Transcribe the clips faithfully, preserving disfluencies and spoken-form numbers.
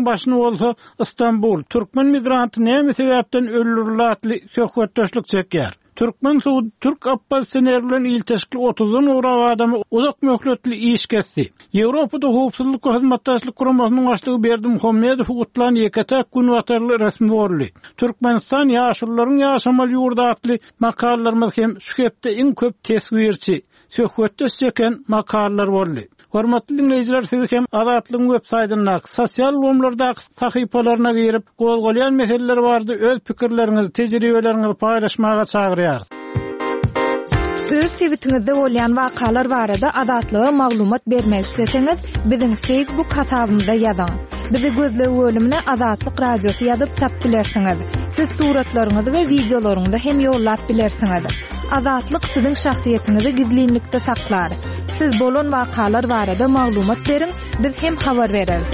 Başyny bolsa Istanbul türkmen migranty näme sebäpden öldürildi atly söhbetdeşlik çekýär. Türkmen sudy türk oppozisioner bilen ilteşikli otuzdan gowrak adamy uzak möhletli iş kesdi. Ýewropada howpsuzlyk we hyzmatdaşlyk guramasynyň başlygy Berdimuhamedowy gutlan ýeke-täk günbatarly resmi boldy. Türkmenistan ýaşulularyň ýaşamaly ýurdy atly makalalarymyz hem şu hepde iň köp teswirçi, söhbetdeş çeken makalalar boldy. Hormatly dinleýjiler, sizi hem Azatlygyň web saýtyndaky sosial ulgamlardaky sahypalaryna girip, gozgalýan meseleler barada öz pikirleriňizi, tejribeleriňizi paýlaşmaga çagyrýarys. Öz sebitiňizde bolýan wakalar barada Azatlyga maglumat bermek isleseňiz, biziň Facebook hasabymyza ýazyň. Bizi gözleg bölümine Azatlyk Radiosy ýazyp tap bilersiňiz. Siz suratlaryňyzy we wideolaryňyzy hem ýollap bilersiňiz. Azatlyk siziň şahsyýetiňizi gizlinlikde saklar. Siz bolan wakalar barada maglumat beriň, biz hem habar bereris.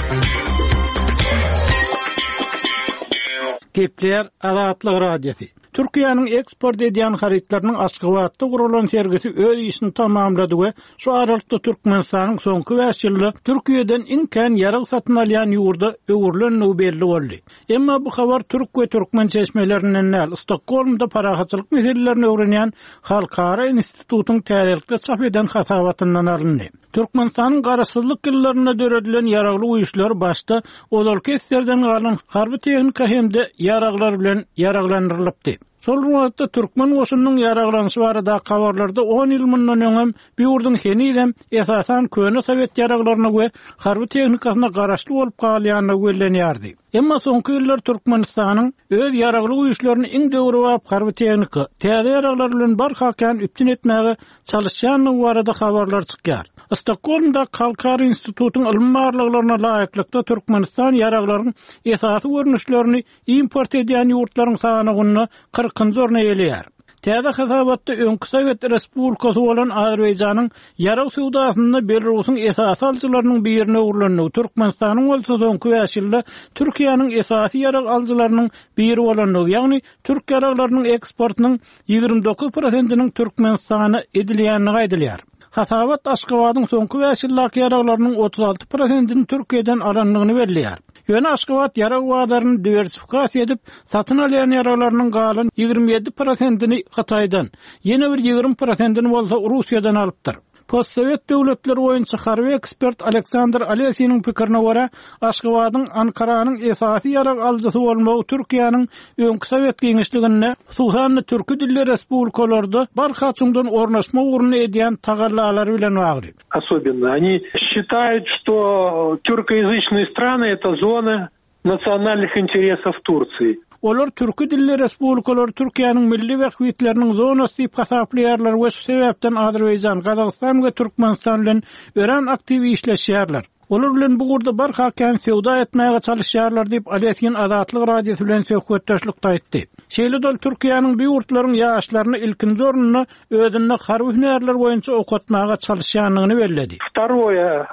Gepleýär Azatlyk Radiosy. Türkiýäniň eksport edýän harytlarynyň Aşgabatda guralan sergisi öz işini tamamlady we şu aralykda Türkmenistanyň soňky bäş ýylda Türkiýeden iň kän ýarag satyn alýan ýurda öwrülendigi belli boldy. Emma bu habar türk we türkmen çeşmelerinden däl, Stokgolmda parahatçylyk meselelerini öwrenýän Halkara institutyň täzelikde çap eden hasabatyndan alyndy. Türkmenistanyň garaşsyzlyk ýyllarynda döredilen ýaragly güýçler başda ozalky esgerden galan harby tehnika hem-de ýaraglar bilen ýaraglandyrylypdy. Şol wagtda türkmen goşunynyň ýaraglanyşy barada habarlarda on ýyl mundan öňem bu ýurduň henizem esasan köne sowet ýaraglaryna we harby tehnikasyna garaşly bolup galýandygy bellenýärdi. Emma soňky ýyllar Türkmenistanyň öz ýaragly güýçlerini iň döwrebap harby tehnika, täze ýaraglar bilen barha kän üpjün etmäge çalışýandygy barada habarlar çykýar. Stokgolmda Halkara institutyň ylmy barlaglaryna laýyklykda Türkmenistan ýaraglaryň esasy görnüşlerini import edýän ýurtlaryň sanawynda kyrkynjy orny eýeleýär. Täze hasabatda öňki Sowet Respublikasy bolan Azerbaýjanyň ýarag söwdasynda Belarusyň esasy alyjylarynyň birine öwrülendigi, Türkmenistanyň bolsa soňky bäş ýylda Türkiýäniň esasy ýarag alyjylarynyň biri bolandygy, ýagny türk ýaraglarynyň eksportynyň ýigrimi dokuz prosentiniň Türkmenistana edilýändigi aýdylýar. Hasabat Aşgabadyň soňky bäş ýyldaky ýaraglarynyň otuz alty prosentini Türkiýeden alandygyny belleýär. Ýöne Aşgabat ýarag bazaryny diwersifikasiýa edip, satyn alýan ýaraglarynyň galan ýigrimi ýedi prosentini Hytaýdan, ýene bir ýigrimi prosentini bolsa Russiýadan alypdyr. Postsowet döwletleri boýunça harby ekspert Aleksandr Alesiniň pikirine görä, Aşgabadyň Ankaranyň esasy ýarag alyjysy bolmagy Türkiýäniň öňki sowet giňişliginde, hususan-da türki dilli respublikalarda barha çuňdan ornaşma ugrunda edýän tagallalary bilen bagly. Особенно они считают, что тюркоязычные страны это зона национальных интересов Турции. Olar türki dilli respublikalar Türkiýäniň milli bähbitleriniň zonasy diýip hasaplaýarlar we şu sebäpden Azerbaýjan, Gazagystan we Türkmenistan bilen örän aktiw işleşýärler. Olar bilen bu ugurda barha kän söwda etmäge çalışýarlar diýip Alesin Azatlyk Radiosy bilen söhbetdeşlikde aýtdy. Şeýle-de ol Türkiýäniň bu ýurtlaryň ýaşlaryny ilkinji orunda özünde harby hünärler boýunça okatmaga çalışýandygyny belledi. Второе,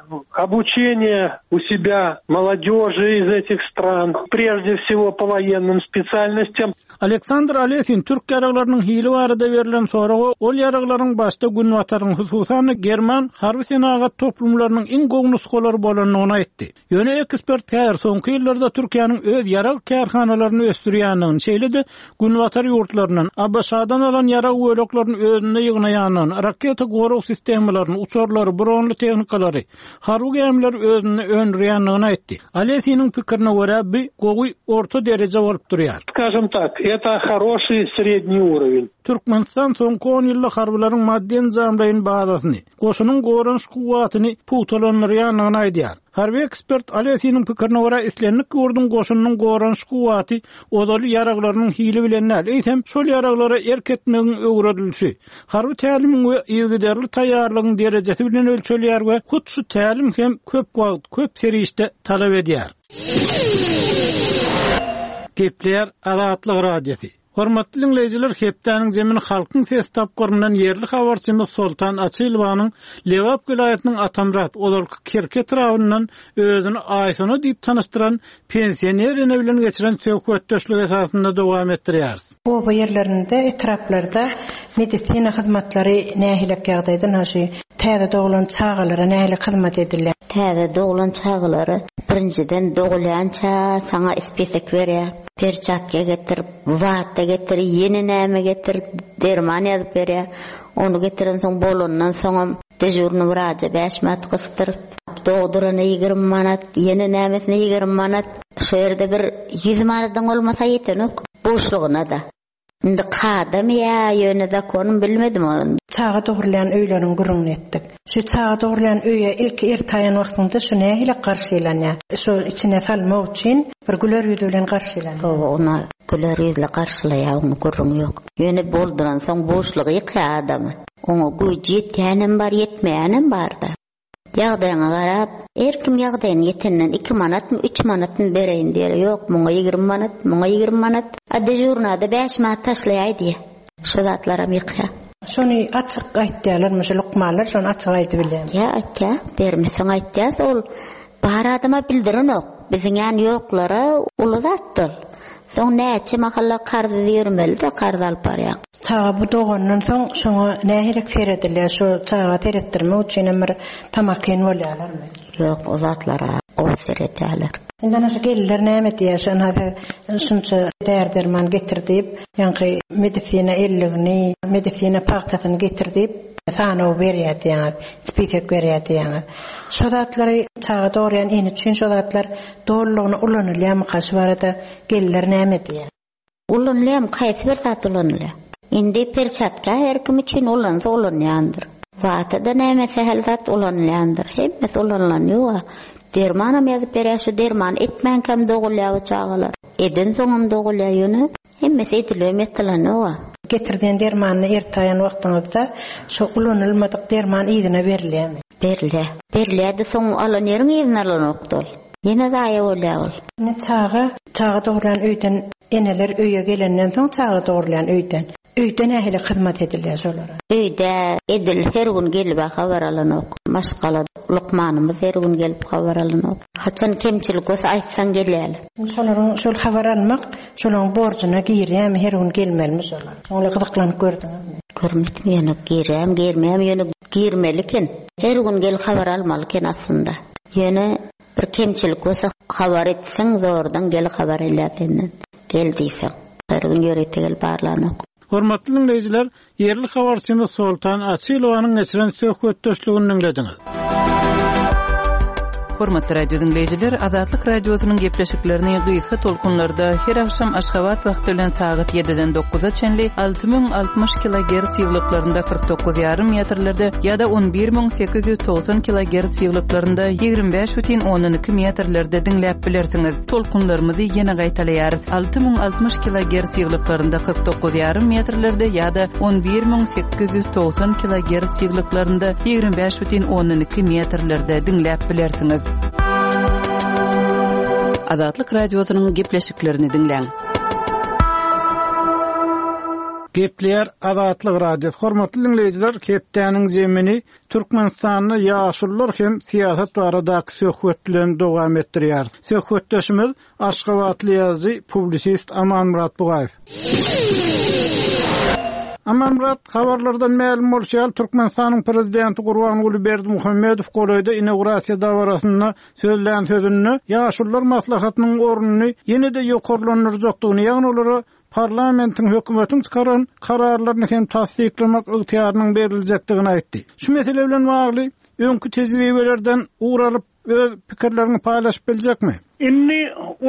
обучение у себя молодежи из этих стран, прежде всего по военным специальностям. Aleksandr Alesin türk ýaraglarynyň hili barada berlen soraga ol ýaraglaryň başda günbataryň, hususan-da German harby senagat toplumlarynyň iň gowy nusgalary bolandygyny aýtdy. Ýöne ekspert häzir soňky ýyllarda Türkiýäniň öz ýarag kärhanalaryny ösdürýändigini, şeýle-de günbatar ýurtlaryndan A B Ş-dan alan ýarag böleklerini özünde ýygnaýandygyny, raketa gorag sistemalaryny, uçarlary, bronly tehnikalary, harby gämileri özünde öndürýändigini aýtdy. Alesiniň pikirine görä, bu gowy orta dereje bolup durýar. Скажем так, это хороший средний уровень. Türkmenistan soňky on ýylda harbylaryň maddy enjamlaryny bazasyny, goşunyň goranyş kuwwatyny pugtalandyrýandygyny aýdýar. Harby ekspert Alesiniň pikirine görä, islendik ýurduň goşunynyň goranyş kuwwaty ozaly ýaraglarynyň hili bilen däl, eýsem şol ýaraglara erk etmegiň öwredilişi, harby tälimiň we yzygiderli taýýarlygyň derejesi bilen ölçelýär we hut şu tälim hem köp wagt, köp serişde talap edýär. Gepleýär Azatlyk Radiosy. Hormatly diňleýjiler, hepdäniň jemini Halkyň Sesi tapgyryndan ýerli habarçymyz Soltan Açylowanyň Lebap welaýatynyň Atamyrat, ozalky Kerki etrabyndan özüni Aýsona diýip tanyşdyran pensioner ene bilen geçiren söhbetdeşligi esasynda dowam etdirýäris. Oba ýerlerinde, etraplarda medisina hyzmatlary nähili ýagdaýda, naşy täze doglan çagalara nähili hyzmat edilýär? Täze doglan çagalara birinjiden dogulýança saňa ispisek berýär. Perçatka getir, wata getir, ýene näme getir, derman ýazyp berýär. Ony getirensoň bolandan soňam dežurny wraja bäş manat gysdyryp, dogdurana ýigrimi manat, ýene nämesine ýigrimi manat. Şu ýerde bir ýüz manadyň bolmasa ýetenok, boşlugyna-da. Indi kadamy ýa ýöne zakonym bilmedim ony. Çaga dogrulýan öýleriň gürrüňini etdik. Şu çaga dogrulýan öýe ilki ertaýan wagtyňda şu nähili garşylanýar? Şu içine salmak üçin bir güler ýüzi bilen garşylanýar. Hawa, ona güler ýüzle garşylaýar, oňa gürrüň ýok. Ýöne bolduransoň boşlugy ýykýar adamy. Oňa güýji ýetýänem bar, ýetmeýänem bar-da. Ýagdaýyňa garap, her kim ýagdaýyny ýetenden iki manatmy, üç manatmy bereýin diýer. Ýok, muňa ýigrimi manat, muňa ýigrimi manat. A dežurnada bäş manat taşlaýaý diýer. Şu zatlaram ýykýar. Şony açyk aýtýarlarmy, şu lukmanlar şony açyk aýdyp bilýärmi? Ýa, aýtýar, bermeseň aýtýar, ol bar adama bildirenok. Biziň ýany ýoklara uly zatdyr. Soň näçe mahalla karz ýörmeli-de, karz alyp barýar. Çaga bu dogandan soň şoňa nähili seredilýär? Şu çaga seretdirmek üçin hem bir tamakin bolýarlarmy? Ýok, o zatlara gowy seredýärler. Indi ana şu gelinler näme diýýär? Şu ana şunça där-derman getir diýip, ýaňky medisina elligini, medisina pagtasyny getir diýip, sanaw berýär diýýär, spisek berýär diýýär. Şu zatlary çaga dogurýan ene üçin şu zatlar dolulygyna ulanylýarmyka? Şu barada gelinler näme diýýär? Ulanylýarmy? Haýsy bir zat ulanylýar? Indi perçatka her kim üçin ulansa ulanýandyr. Wata-da näme sähel zat ulanylýandyr. Hemmesi ulanylan ýok. Dermanam ýazyp berýär, şu derman etmänkäm dogulýar bu çagalar. Eden soňam dogulýar ýöne. Hemmesi edilip ýatylan ýok. Getirdiğin dermanyny ertaýan wagtyňyzda şu ulanylmadyk derman yzyna berilýärmi? Berilýär. Berilýär-de soň alan ýeriň yzyna alanokdy ol. Ýene zaýa bolýar ol. Indi çaga, çaga dogurlan öýden eneler öýe gelenden soň çaga dogurlan öýden. Öýde nähili hyzmat edilýär şolara? Öýde edil her gün gelip habar alanok. Maşgala lukmanymyz her gün gelip habar alanok. Haçan kemçilik bolsa aýtsaň gelýärler. Şolaryň şol habar almak, şolaryň borjuna girýärmi, her gün gelmelimi şolar? Şoňa gyzyklanyp gördüňizmi? Görmedim ýöne girýärmi, girmeýärmi, ýöne girmeli eken. Her gün gel habar almaly eken aslynda. Ýöne bir kemçilik bolsa habar etseň zordan gel habar elýär senden. Gel diýseň. Her gün ýörite gel barlanok. Hormatly diňleýjiler, ýerli habarçymyz Soltan Açylowanyň geçiren söhbetdeşligini diňlediňiz. Hormatly radio diňleýjiler, Azatlyk radiosynyň gepleşiklerini gysga tolkunlarda her akşam Aşgabat wagty bilen sagat ýediden dokuza çenli alty müň altmyş kilogertz ýyglyklarynda kyrk dokuz ýarym metrlerde ýa-da on bir müň sekiz ýüz togsan kilogertz ýyglyklarynda ýigrimi bäş bütin ondan iki metrlerde diňläp bilersiňiz. Tolkunlarymyzy ýene gaýtalaýarys. Alty müň altmyş kilogertz ýyglyklarynda kyrk dokuz ýarym metrlerde ýa-da on bir müň sekiz ýüz togsan kilogertz ýyglyklarynda ýigrimi bäş bütin ondan iki metrlerde diňläp bilersiňiz. Azatlyk radiosynyň gepleşiklerini diňläň. Gepleýär Azatlyk Radiosy. Hormatly diňleýjiler, hepdäniň zemini Türkmenistanda ýaşulular hem syýasat baradaky söhbet bilen dowam etdirýär. Söhbetdeşimiz Aşgabatly ýazyjy, publisist Amanmyrat Bugaýew. Amanmyrat, habarlardan mälim bolşy ýaly, Türkmenistanyň prezidenti Gurbanguly Berdimuhamedow golaýda inaugurasiýa dabarasynda sözlän sözünde ýaşulular maslahatynyň ornuny ýene-de ýokarlandyrjakdygyny, ýagny olara parlamentiň hökümetiň çykaran kararlaryny hem tassyklamak ygtyýarynyň beriljekdigini aýtdy. Şu mesele bilen bagly öňki tejribelerden ugur alyp öz pikirlerini paýlaşyp biljekmi? Indi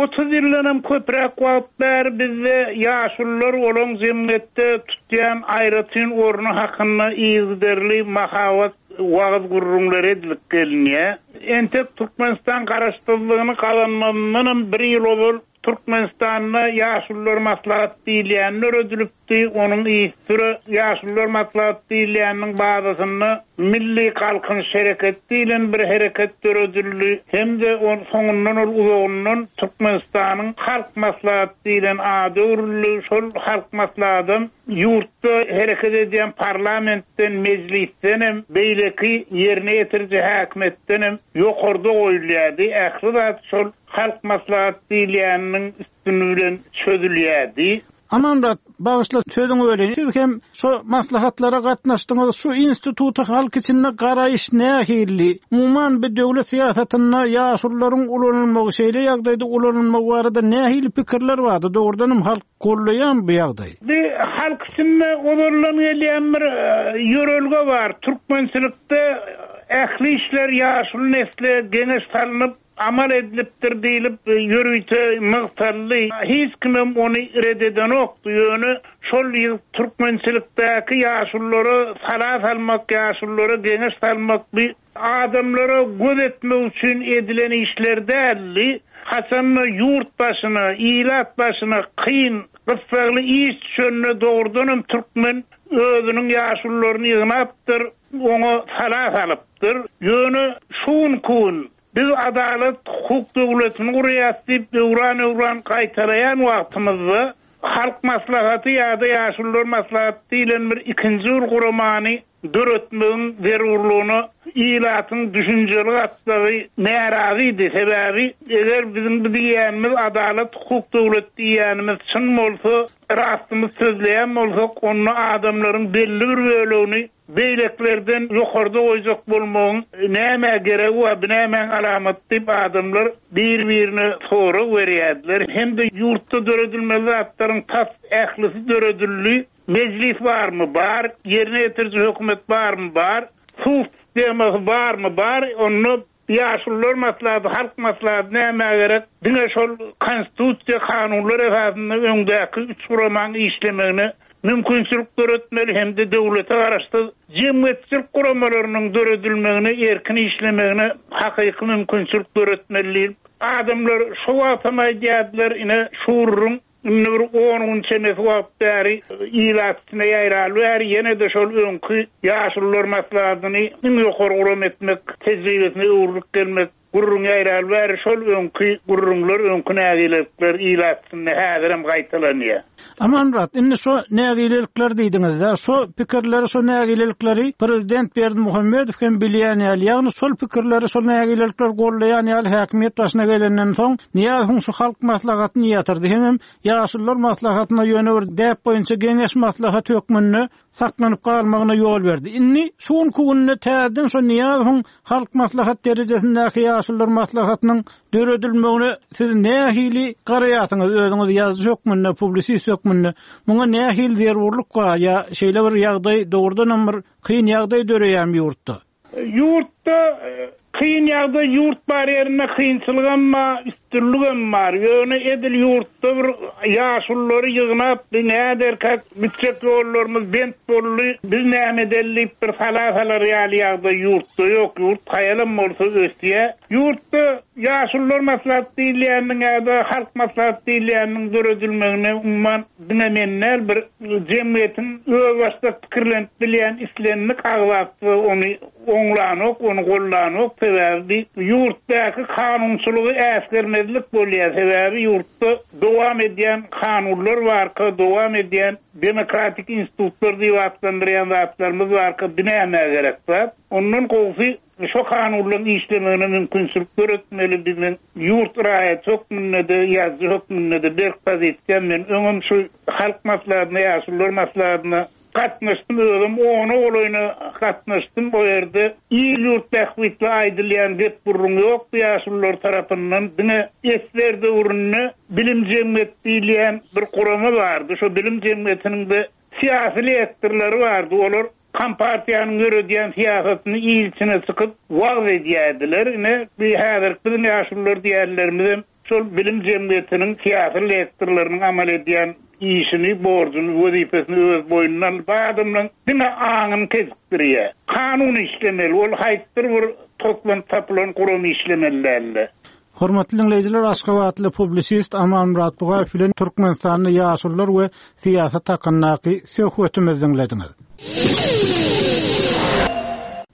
otuz ýyldan köpräk wagt bäri bizde ýaşulular olan jemgyýetde tutýan aýratyn orny hakynda yzygiderli mahabat wagyz gurrumlary edilip gelinýär. Entek Türkmenistan garaşsyzlygyny gazanmazyndan bir ýyl ozal Türkmenistanda ýaşulular maslahat diýilýän döredilipdi. Onuň ýygy ýaşulular maslahat diýilýäniniň bazasynda Milli Galkynyş Hereket diýlen bir hereket döredildi. Hem-de on soňundan ol uzagyndan Türkmenistanyň Halk Maslahaty diýlen ady öwrüldi. Şol Halk Maslahatam ýurtda hereket edýän parlamentden, mejlisden hem, beýleki ýerine ýetiriji häkimiýetden hem ýokarda goýulýardy. Ähli zat şol Halk Maslahaty diýilýäniniň üstüni bilen çözülýärdi. Amanmyrat, bagyşla sözüňi böleýin. Siz hem şu maslahatlara gatnaşdyňyz. Şu instituta halk içinde garaýyş nähili? Umuman bu döwlet syýasatynda ýaşulularyň ulanylmagy, şeýle ýagdaýda ulanylmagy barada nähili pikirler bardy? Dogrudan hem halk gollaýan bu ýagdaý. Bu halk içinde ozaldan gelýän bir ýörelge bar. Türkmençilikde ähli işler ýaşuly nesle geňeş salnyp amal edilipdir diýlip ýörite nygtaldy. Hiç kimem ony red edenokdy. Ýöne şol türkmençilikdäki ýaşululara sala salmak, ýaşululara geňeş salmak bir adamlara göz etmek üçin edilen işler däldi. Haçanda ýurt başyna, ilat başyna kyn, gyssagly iş düşende dogrudanam türkmen özüniň ýaşulularyny ýygnapdyr, oňa sala salypdyr. Ýöne şu gün biz adalat hukuk döwletini gurýas diýip öwran-öwran gaýtalaýan wagtymyzda Halk Maslahaty ýa-da Ýaşulular Maslahaty diýlen bir ikinji bir guramany döretmegiň zerurlygyna ilatyň düşünjeli gatlagy närazydy. Sebäbi eger biziň bu diýýänimiz adalat hukuk döwlet diýýänimiz çyn bolsa, rastymyz sözleýän bolsak, onda adamlaryň belli bir bölegini beýleklerden ýokarda goýjak bolmagyň näme geregi bar, bu nämäň alamaty diýip adamlar bir-birine sorag berýärdiler. Hem-de ýurtda döredilmeli zatlaryň tas ählisi döredildi. Mejlis barmy? Bar. Ýerine ýetiriji hökümet barmy? Bar. Suw sistemasy barmy? Bar. Onda Ýaşulular maslahaty, halk maslahaty nämä gerek? Diňe şol konstitusiýa kanunlar esasynda öňdäki üç guramaň işlemegine mümkinçilik döretmeli hem-de döwlete garaşsyz jemgyýetçilik guramalarynyň döredilmegine, erkin işlemegine hakyky mümkinçilik döretmeli diýip, adamlar şo wagtam aýdýardylar, ine şu gürrüň indi bir on gün çemesi wagt bäri ilat içine ýaýraly bäri ýene-de şol öňki ýaşulular maslahatyny iň ýokary guram etmek tejribesine öwrülip gelmek gürrüň ýaýraly bäri şol öňki gürrüňler, öňki nägilelikler ilat içinde häzirem gaýtalanýar. Amanmyrat, indi şo nägilelikler diýdiňiz-de, şo pikirleri, şo nägilelikleri prezident Berdimuhamedow hem bilýän ýaly, ýagny şol pikirleri, şol nägilelikleri gollaýan ýaly häkimiýet başyna gelenden soň Nyýazowyň şu halk maslahatyny ýatyrdy. Hemem ýaşulular maslahatyna ýöne bir däp boýunça geňeş maslahaty hökmünde saklanyp galmagyna ýol berdi. Indi şu günki günde täzeden şo Nyýazowyň halk maslahat derejesindäki ýaşulular maslahatynyň döredilmegine siz nähili garaýarsyňyz özüňiz ýazyjy hökmünde, publisist hökmünde? Muňa nähili zerurlyk bar ýa şeýle bir ýagdaý dogrudanam bir kyn ýagdaý döreýän ýurtda? Ýurtda kyn ýagdaý, ýurt bar ýerinde kynçylygam bar, üstünligem bar. Ýöne edil ýurtda bir ýaşululary ýygnap, bir näderkäk gitjek ýollarymyz bent boldy, biz näme edeli diýip bir sala salar ýaly ýagdaý ýurtda ýok. Ýurt haýalam bolsa ösýär. Ýurtda ýaşulular maslahat diýilýäniniň ýa-da halk maslahat diýilýäniniň döredilmegine umuman diňe men däl, bir jemgyýetiň özbaşdak pikirlenip bilýän islendik agzasy ony oňlanok, ony gollanok. Sebäbi ýurtdaky kanunçylygy äsgermezlik bolýar. Sebäbi ýurtda dowam edýän kanunlar barka, dowam edýän demokratik institutlar diýip atlandyrýan zatlarymyz barka binäme gerek zat. Ondan gowsy şo kanunlaryň işlemegine mümkinçilik döretmeli. Biziň ýurt raýaty hökmünde-de, ýazyjy hökmünde-de berk pozisiýam. Men öňem şu halk maslahatyna, ýaşulular maslahatyna gatnaşdym, özüm ona golaýyna gatnaşdym. O ýerde il ýurt bähbitli aýdylýan gep gürrüň ýokdy ýaşulular tarapyndan. Diňe esler döwründe bilim jemgyýet diýilýän bir gurama bardy. Şo bilim jemgyýetiniň de syýasy lektorlary bardy. Olar Kompartiýanyň ýöredýän syýasatyny il içine çykyp wagyz edýärdiler. Ine, bu häzirki biziň ýaşulular diýýänlerimizem şol bilim jemgyýetiniň syýasy lektorlarynyň amal edýän işini, borjuny, wezipesini öz boýnuna alyp, adamlaryň diňe aňyny kesipdirýär. Kanun işlemeli, ol haýsydyr bir toplanyp tapylan guram işlemeli däldi. Hormatly dinleýjiler, Aşgabatly publisist Amanmyrat Bugaýew bilen Türkmenistanda ýaşulular we syýasat hakyndaky söhbetimizi dinlediňiz.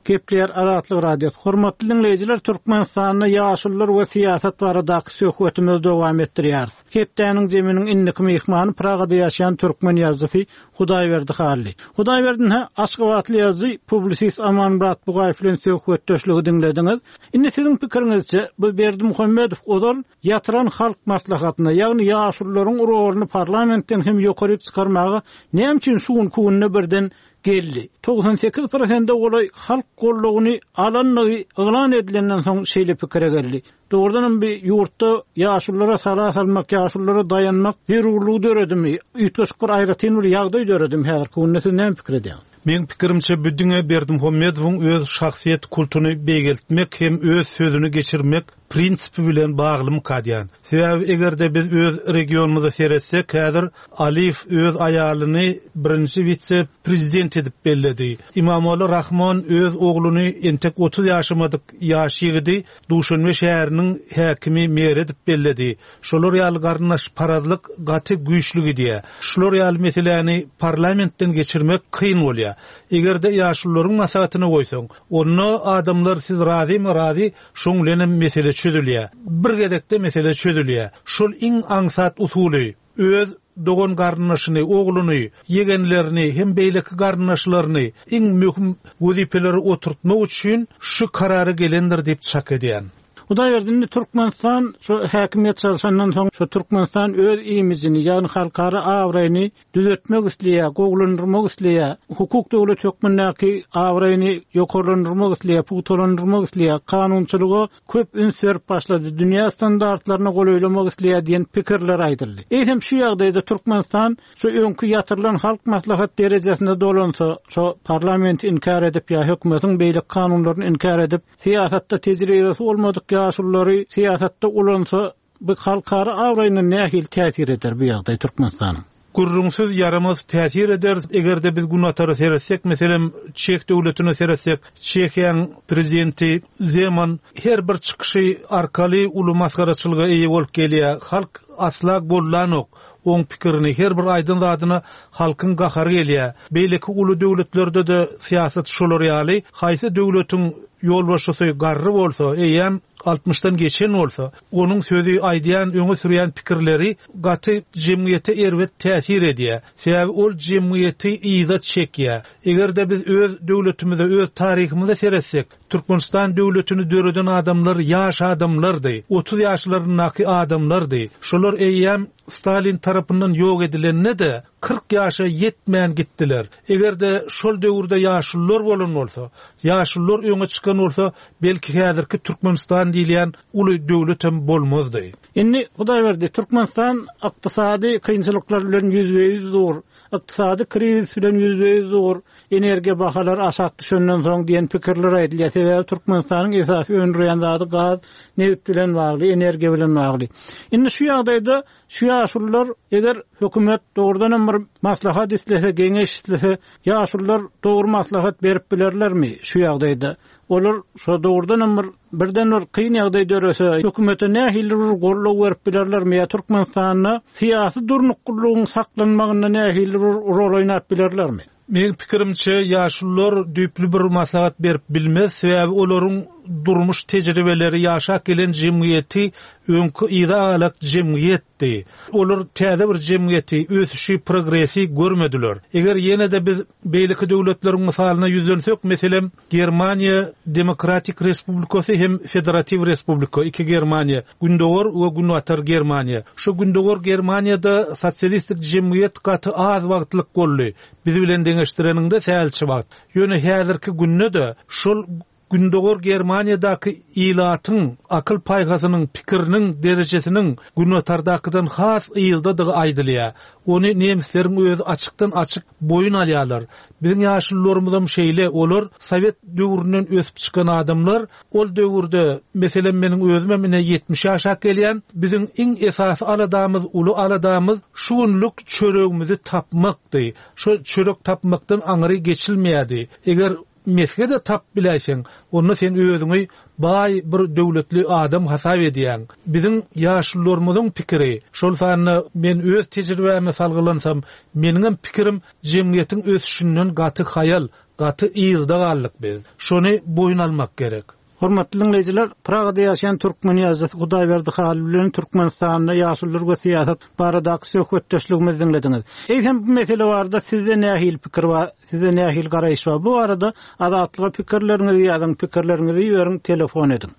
Gepleýär Azatlyk Radiosy. Hormatly diňleýjiler, Türkmenistanda ýaşulular we syýasat baradaky söhbetimizi dowam etdirýäris. Hepdäniň zeminiň indiki myhmany Pragada ýaşaýan türkmen ýazyjysy Hudaýberdi Hally. Hudaýberdi ha Aşgabatly ýazyjy publisist Amanmyrat Bugaýew bilen söhbetdeşligi diňlediňiz. Indi siziň pikiriňizçe bu Berdimuhamedow ozal ýatyran halk maslahatyna, ýagny ýaşulularyň roluny parlamentden hem ýokary çykarmaga näme üçin şu günki günde birden geldi? Togsan sekiz prosente golaý halk gollugyny alanlygy yglan edilenden soň şeýle pikire geldi. Doğrudan bir ýurtda ýaşululara sala salmak, ýaşululara daýanmak zerurlygy döredimi? Üýtgeşik bir aýratyn bir ýagdaý döredimi häzirki günde siz näme pikir edýäňiz? Meň pikirimçe bu diňe Berdimuhamedowyň öz şahsyýet kultuny beýgeltmek hem öz sözüni geçirmek prinsipi bilen baglymyka diýen. Sebäbi eger-de biz öz regionymyza seretsek, häzir Aliýew öz aýalyny birinji witse-prezident edip belledi. Imamogly Rahmon öz ogluny entek otuz ýaşamadyk ýaş ýigidi Duşanbe şäheriniň häkimi meri edip belledi. Şolar ýaly garyndaş parazlyk gaty güýçli gidýär. Şular ýaly meseläni parlamentden geçirmek kyn bolýar. Eger-de ýaşulularyň maslahatyna goýsaň, onda adamlar siz razymy razy, şoň bilen mesele çözülýär. Bir gezekde mesele çözülýär. Şol iň aňsat usuly öz dogan garyndaşyny, ogluny, ýegenlerini hem beýleki garyndaşlaryny iň möhüm wezipeleri oturtmak üçin şu karara gelendir diýip çak edýän. Hudaýberdi, indi Türkmenistan şu häkimiýet çalşandan soň şu Türkmenistan öz imijini, ýagny halkara abraýyny düzetmek isleýär, gowulandyrmak isleýär, hukuk döwlet hökmündäki abraýyny ýokarlandyrmak isleýär, pugtalandyrmak isleýär, kanunçylyga köp üns berip başlady, dünýä standartlaryna golaýlamak isleýär diýen pikirler aýdyldy. Eýsem şu ýagdaýda Türkmenistan şu öňki ýatyrylan halk maslahat derejesinde dolansa, şu parlamenti inkär edip ýa hökümetiň beýleki kanunlaryny inkär edip, syýasatda tejribesi bolmadyk ýaşululary syýasatda ulansa, bu halkara abraýyna nähili täsir eder bu ýagdaý Türkmenistanyň? Gürrüňsiz ýaramaz täsir eder. Eger-de biz Günbatara seretsek, meselem Çeh döwletine seretsek, Çehiýanyň prezidenti Zeman her bir çykyşy arkaly uly masgaraçylyga eýe bolup gelýär. Halk asla gollanok oň pikirini, her bir aýdyn zadyna halkyň gahary gelýär. Beýleki uly döwletlerde de syýasat şolar ýaly, haýsy döwletiň ýolbaşçysy garry bolsa, eýem altmyşdan geçen bolsa, onuň sözi aýdýan, öňe sürýän pikirleri gaty jemgyýete erbet täsir edýär. Sebäbi ol jemgyýeti yza çekýär. Eger-de biz öz döwletimize, öz taryhymyza seretsek, Türkmenistan döwletini döreden adamlar ýaş adamlardy, otuz ýaşlaryndaky adamlardy. Şolar eýem Stalin tarapyndan ýok edilende de kyrk ýaşa ýetmän gitdiler. Eger-de şol döwürde ýaşulular bolan bolsa, ýaşulular öňe çykan bolsa, belki häzirki Türkmenistan diýilýän uly döwlet hem bolmazdy. Indi Hudaýberdi, Türkmenistan ykdysady kynçylyklar bilen ýüzbe-ýüz dur, ykdysady krizis bilen ýüzbe-ýüz dur, energiýa bahalary aşak düşenden soň diýen pikirler aýdylýar. Sebäbi Türkmenistanyň esasy öndürýän zady gaz, nebit bilen bagly, energiýa bilen bagly. Indi şu ýagdaýda şu ýaşulular eger hökümet dogrudan hem bir maslahat islese, geňeş islese, ýaşulular dogry maslahat berip bilerlermi şu ýagdaýda? Olar şu dogrudan hem bir birden bir kyn ýagdaý dörese, hökümete nähili bir goldaw berip bilerlermi ýa Türkmenistanda syýasy durnuklylygyň saklanmagynda nähili bir rol oýnap bilerlermi? Meň pikirimçe ýaşulular düýpli bir maslahat berip bilmez, sebäbi olaryň durmuş tejribeleri ýaşap gelen jemgyýeti öňki yza alak jemgyýetdi. Olar täze bir jemgyýeti, ösüşi, progresi görmediler. Eger ýene-de biz beýleki döwletleriň mysalyna ýüzlensek, meselem Germaniýa Demokratik Respublikasy hem Federativ Respublika, iki Germaniýa, Gündogar we Günbatar Germaniýa. Şu Gündogar Germaniýada sosialistik jemgyýet gaty az wagtlyk boldy. Biz bilen deňeşdireniňde sälçe wagt. Ýöne häzirki günde de şol Gündogar Germaniýadaky ilatyň akyl paýhasynyň, pikiriniň derejesiniň Günbatardakydan has ýyldadygy aýdylýar. Ony nemesleriň özi açykdan açyk boýun alýarlar. Biziň ýaşulularymyzam şeýle, olar Sowet döwründen ösüp çykan adamlar. Ol döwürde, meselem meniň özüm ine ýetmiş ýaşa gelýän, biziň iň esasy aladamyz, uly aladamyz şu günlük çöregimizi tapmakdy. Şu çörek tapmakdan aňry geçilmeýärdi. Eger mesge-de tapyp biläýseň, onda sen özüňi baý bir döwletli adam hasap edýäň. Biziň ýaşulularymyzyň pikiri, şol sanda men öz tejribäme salgylansam, meniňem pikirim jemgyýetiň ösüşinden gaty haýal, gaty yzda galdyk biz. Şony boýun almak gerek. Hormatly diňleýjiler, Pragada ýaşaýan türkmen ýazyjysy Hudaýberdi Haly bilen Türkmenistanda ýaşulular we syýasat baradaky söhbetdeşligimizi diňlediňiz. Eýsem bu mesele barada sizde nähili pikir bar, sizde nähili garaýyş bar? Bu barada Azatlyga pikirleriňizi ýazyň, pikirleriňizi iberiň, telefon ediň.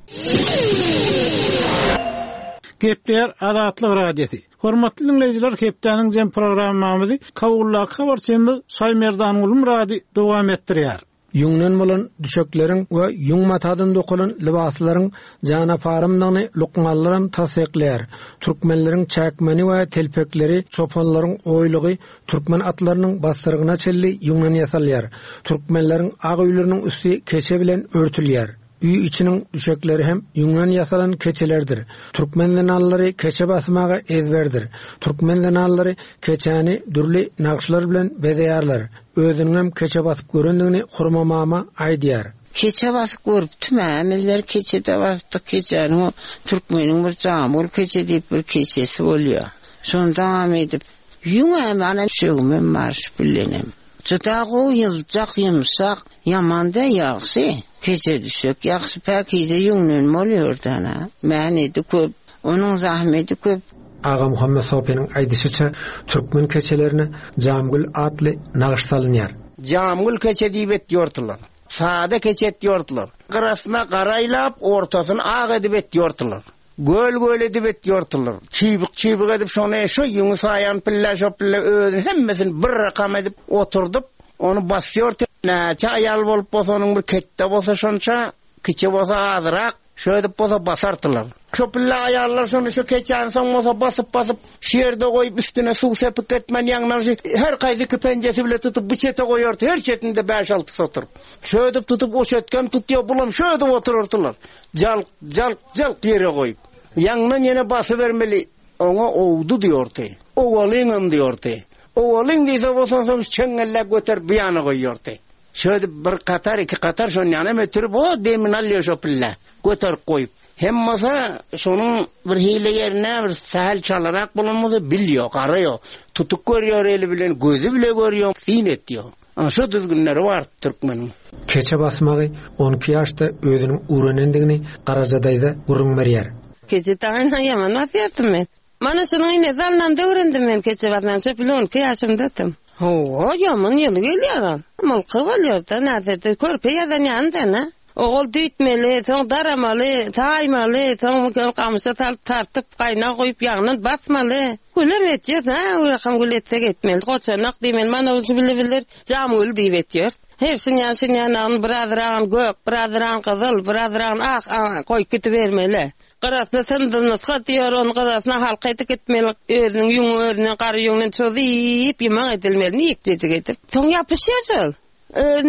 Gepleýär Azatlyk Radiosy. Hormatly diňleýjiler, hepdäniň jem programmamyzy Kabuldaky habarçymyz Şaýmerdan Gulmyrady dowam etdirýär. Ýüňden bolan düşekleriň we ýüň matadan dokalan lybaslaryň janaparymdygyny lukmanlaram tassyklaýar. Türkmenleriň çäkmeni we telpekleri, çopanlaryň oýlugy türkmen atlarynyň bassyrygyna çenli ýüňden ýasalýar. Türkmenleriň ak öýleriniň üsti keçe bilen örtülýär. Öý içiniň düşekleri hem ýüňden ýasalan keçelerdir. Türkmen zenanlary keçe basmaga ezberdir. Türkmen zenanlary keçäni dürli nagyşlar bilen bezeýärler. Özüniňem keçe basyp görendigini Hurma mama aýdýar. Keçe basyp görüpdim, hemmeler keçede basypdyk keçäni o türkmeniň bir jamgül keçe diýip bir keçesi bolýar. Şonda edip ýüň hem ana düşegimem bar şu bilenem. Juda gowy ýyljak, ýumşak, ýaman-da ýagşy. Keçe düşek, ýagşy päkize ýüňden bolýar dana. Mähneti köp, onuň zahmeti köp. Agamuhammet Sopynyň aýdyşyça, türkmen keçelerine Jamgül atly nagyş salynýar. Jamgül keçe diýip etýärdiler. Sada keçe etýärdiler. Gyrasyna garaýlap, ortasyny ak edip etýärdiler. Göl-göl edip etýärdiler. Çybyk-çybyk edip şony şu ýüňi saýan pille şo pille özüni hemmesini bir rakam edip oturdyp, ony basýar. Näçe aýal bolup bolsa onuň bir ketde bolsa şonça, kiçi bolsa azyrak, şöýdüp bolsa basardylar. Şo pille aýallar şony şu keçäni soň bolsa basyp basyp şu ýerde goýup üstüne suw sepip etmän ýaňdan şu her kaýsy iki penjesi bile tutup bu çete goýardy, her çetinde bäş-alty oturyp. Şöýdüp tutup o çetkem tutýar, bulam şöýdüp oturardylar. Jalk, jalk, jalk ýere goýup. Ýaňdan ýene basybermeli. Oňa owdy diýordy. Owalyňam diýordy. Owalyň diýse bolsa soň çeňňelle göterip bu ýana goýýardy. Şöýdüp bir katar, iki katar şon ýana ötürip o demin alýar şo pille. Göterip goýup. Hem bolsa şonuň bir hile ýerine bir sähel çalarak bolan bolsa bilýär, garaýar. Tutup görýär eli bilen, gözi bile görýär, syn etýär. Ana şu düzgünleri bar türkmeniň. Keçe basmagy on iki ýaşda özüniň öwrenendigini Garaja daýza gürrüň berýär. Keçe daýyna ýaman basýardym men. Mana şunuň ine zalyndan öwrendim men keçe basmagy. Şo bile on iki ýaşymdadym. Hawa, ýaman ýyly gelýär ol. Mylky bolýar-da, närsede körpe ýazan ýanynda, ne? Ogul düýtmeli, soň daramaly, taýmaly, soň bu gamyşa salyp tartyp, gaýna goýup, ýagyndan basmaly. Gülem etýär, ha, urakam gül etsek etmeli. Goçanak diýmeli, mana şu bile biler, jamgül diýip etýär. Her şinýan şinýan birazragyn gök, birazragyn gyzyl, birazragyn ak, a, goýup gidibermeli. Gyrasyna syndynyska diýer, onu gyrasyna halka edip gitmeli. Özüniň ýüňi özüne gary ýüňünden çözüp, ýymak edilmeli, niýetjejik edip. Soň ýapyşýar şol.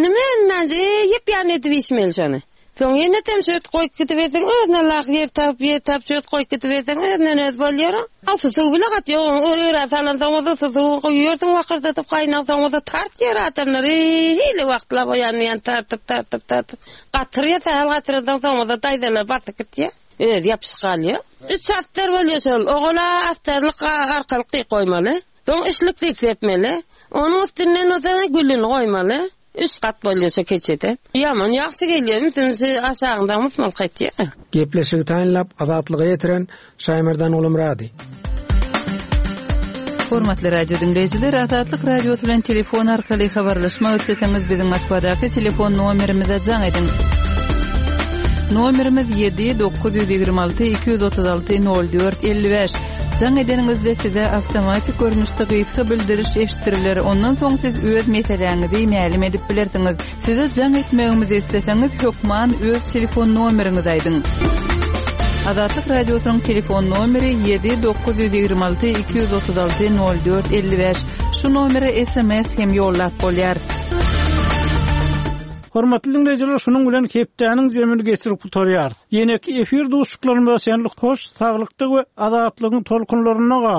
Nime men ýep ýan edip işmeli şony. Soň ýene dem şöt goýup gidiberseň, özüne lak ýer tapyp, ýer tapyp şöt goýup gidiberseň, özünden öz bolýar. Asy suw bile gat ýok, o öýe salansoň bolsa suw goýýarsyň, wakyrdatyp gaýnagsoň bolsa tartýar adamlar. Hili wagtlap oýanmaýan tartyp, tartyp, tartyp. Gatyrýar, sähel gatyransoň soň bolsa daýzalar basyp gitýär. Öz ýapyşyp galýar. Üç astar bolýar şol. Ogula astarlyk arkalyk diýip goýmaly. Soň işlik diýip sepmeli. Onuň üstünden bolsa gülüni goýmaly. Üç gat bolýar şo keçede. Ýaman ýagşy gelýär, ünsüni aşagynda musmal gaýtýar. Gepleşigi taýynlap Azatlyga ýetiren Şaýmerdan Gulumyrady. Hormatly radio dinleýjiler, Azatlyk Radiosy bilen telefon arkaly habarlaşmak isleseňiz biziň Moskwadaky telefon nomerimize jaň ediň. Nomerimiz ýedi dokuz ýüz ýigrimi alty iki ýüz otuz alty nol dört elli bäş. Jaň edeniňizde size awtomatik görnüşde gysga bildiriş eşitdiriler. Ondan soň siz öz meseläňizi mälim edip bilersiňiz. Size jaň etmegimizi isleseňiz hökman öz telefon nomeriňizi aýdyň. Azatlyk Radiosynyň telefon nomeri ýedi dokuz ýüz ýigrimi alty iki ýüz otuz alty nol dört elli bäş. Şu nomere S M S hem ýollap bolýar. Hormatly dinleýjiler, şunuň bilen hepdäniň zemini geçirip gutarýarys. Ýeneki efir duşuşyklarymyza şenlik hoş, saglykda we azatlygyň tolkunlarynda gal.